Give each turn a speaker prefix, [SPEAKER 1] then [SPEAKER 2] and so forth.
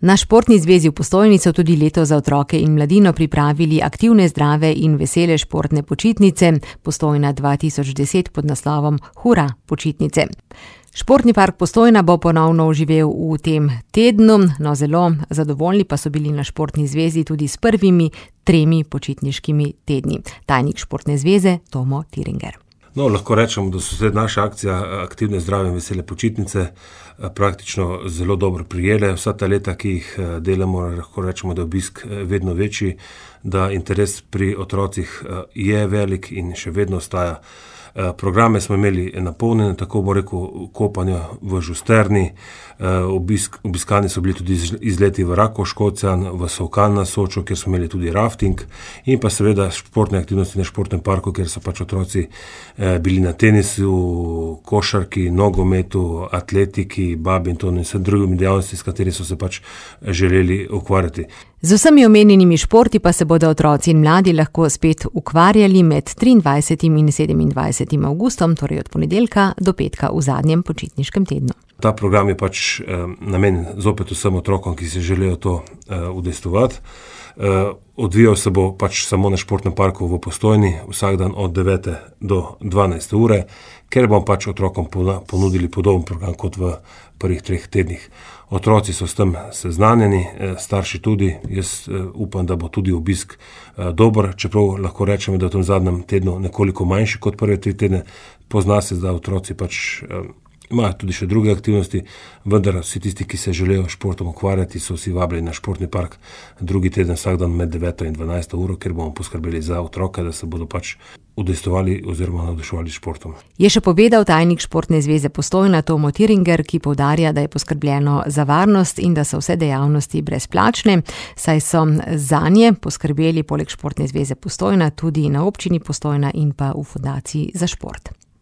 [SPEAKER 1] Na Športni zvezi v Postojni so tudi letos za otroke in mladino pripravili aktivne, zdrave in vesele športne počitnice Postojna 2010 pod naslovom Hura počitnice. Športni park Postojna bo ponovno oživel v tem tednu, no zelo zadovoljni pa so bili na Športni zvezi tudi s prvimi 3 počitniškimi tedni. Tajnik Športne zveze Tomo Tiringer.
[SPEAKER 2] No, lahko rečemo, da so se naša akcija aktivne, zdrave in vesele počitnice praktično zelo dobro prijele. Vsa ta leta, ki jih delamo, lahko rečemo, da je obisk vedno večji, da interes pri otrocih je velik in še vedno ostaja. Programe smo imeli napolnjene, tako bo rekel, kopanja v Žusterni, obiskani so bili tudi izleti v Rakovški ocean, v Solkan na Soču, kjer smo imeli tudi rafting in pa seveda športne aktivnosti na športnem parku, kjer so pač otroci bili na tenisu, košarki, nogometu, atletiki, badmintonu in vse drugimi dejavnosti, s kateri so se pač želeli ukvarjati.
[SPEAKER 1] Z vsemi omenjenimi športi pa se bodo otroci in mladi lahko spet ukvarjali med 23. in 27. avgustom, torej od ponedeljka do petka v zadnjem počitniškem tednu.
[SPEAKER 2] Ta program je pač namenjen zopet vsem otrokom, ki se želijo to udejstvovati. Odvijal se bo pač samo na športnem parku v Postojni, vsak dan od 9. do 12. ure, ker bomo pač otrokom ponudili podoben program kot v prvih 3 tednih. Otroci so s tem seznanjeni, starši tudi. Jaz upam, da bo tudi obisk dober, čeprav lahko rečemo, da je v tem zadnjem tednu nekoliko manjši kot prve 3 tedne. Pozna se, da otroci pač imajo tudi še druge aktivnosti, vendar vsi tisti, ki se želijo športom ukvarjati, so vsi vabljeni na športni park drugi teden vsak dan med 9. in 12. uro, ker bomo poskrbeli za otroke, da se bodo pač udejstvovali oziroma navduševali športom.
[SPEAKER 1] Je še povedal tajnik Športne zveze Postojna Tomo Tiringer, ki poudarja, da je poskrbljeno za varnost in da so vse dejavnosti brezplačne, saj so zanje poskrbeli poleg Športne zveze Postojna tudi na občini Postojna in pa v Fundaciji za šport.